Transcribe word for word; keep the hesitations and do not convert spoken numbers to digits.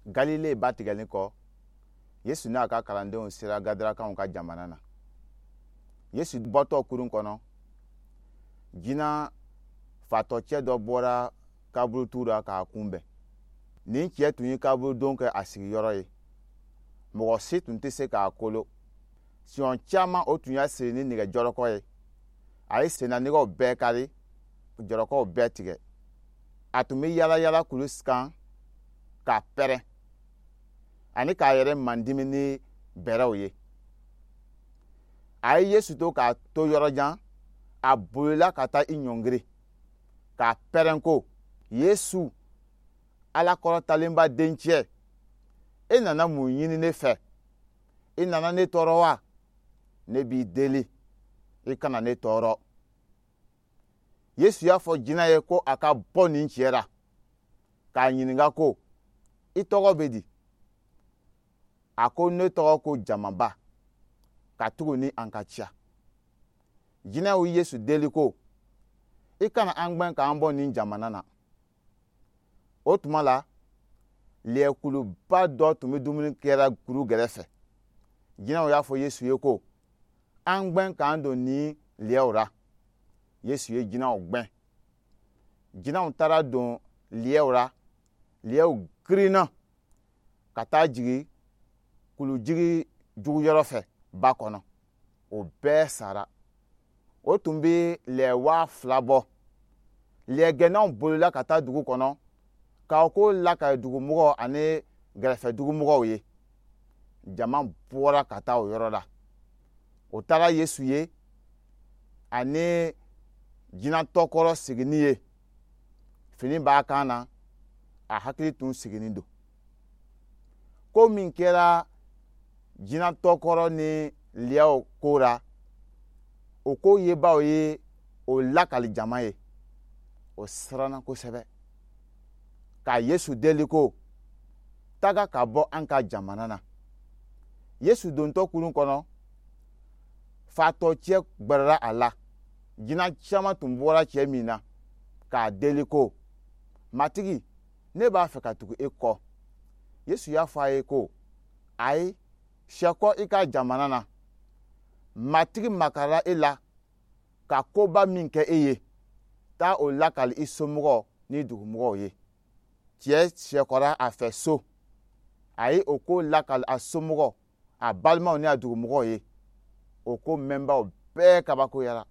Galile ba tigɛlen kɔ, Yesu n'a ka kalandenw sera Gadarakaw ka jamana na. Yesu bɔtɔ kurun kɔnɔ, jinɛ fatɔcɛ dɔ bɔra kaburutu la k'a kunbɛn. Nin cɛ tun ye kaburudon kɛ a sigiyɔrɔ ye. Mɔgɔ si tun tɛ se k'a kolo. Siɲɛ caman, o tun y'a siri ni nɛgɛ jɔlɔkɔ ye. A ye sennanɛgɛw bɛɛ kari, jɔlɔkɔw bɛɛ tigɛ. A tun bɛ yala yala kulu kan k'a pɛrɛn ani k'a yɛrɛ mandimi ni bɛrɛw ye. A ye Yesu to k'a to yɔrɔ jan, a bolila ka taa i ɲɔngiri k'a pɛrɛn ko: "Yesu, Ala kɔrɔtalenba dencɛ, e nana mun ɲini ne fɛ? I nana ne tɔɔrɔ wa? Ne b'i deli, i kana ne tɔɔrɔ." Yesu y'a fɔ jinɛ ye ko a ka bɔ nin cɛ la, k'a ɲininka ko: "I tɔgɔ bɛ di?" A ko: "Ne tɔgɔ ko Jamaba, katuguni an ka ca." Jinɛw Yesu deli ko: "I kana an gbɛn k'an bɔ nin jamana na." O tuma la, lɛkuluba dɔ tun bɛ dumuni kɛra kuru gɛrɛfɛ. Jinɛw y'a fɔ Yesu ye ko: "An gbɛn k'an don nin lɛw la." Yesu ye jinɛw gbɛn. Jinɛw taara don lɛw la. Lɛw girinna ka taa jigin kulujigi juguyɔrɔ fɛ ba kɔnɔ, o bɛɛ sara. O tun bɛ lɛ waa fila bɔ. Lɛgɛnnaw bolila ka taa dugu kɔnɔ k'aw ko lakali dugumɔgɔw ani gɛrɛfɛ dugumɔgɔw ye. Jama bɔra ka taa o yɔrɔ la. O taara Yesu ye ani jinɛtɔkɔrɔ sigini ye. Fini b'a kan na, a hakili tun sigilen don. Ko min kɛra jinɛtɔkɔrɔ ni lɛw ko la, o ko yebaaw ye o lakali jama ye. O siranna kosɛbɛ ka Yesu deli ko: "Taga ka bɔ an ka jamana na." Yesu dontɔ kurun kɔnɔ, fatɔcɛ gbɛrɛla a la. Jinɛ caman tun bɔra cɛ min na, k'a deli ko: "Matigi, ne b'a fɛ ka tugu e kɔ." Yesu y'a fɔ a ye ko: "Ayi, sɛkɔ i ka jamana na. Matigi makarala e la ka koba min kɛ e ye, taa o lakali i somɔgɔw ni dugumɔgɔw ye." Cɛ sɛkɔra a fɛ so. A ye o ko lakali a somɔgɔw, a balimaw ni a dugumɔgɔw ye. O ko mɛnbaw bɛɛ kabakoyara.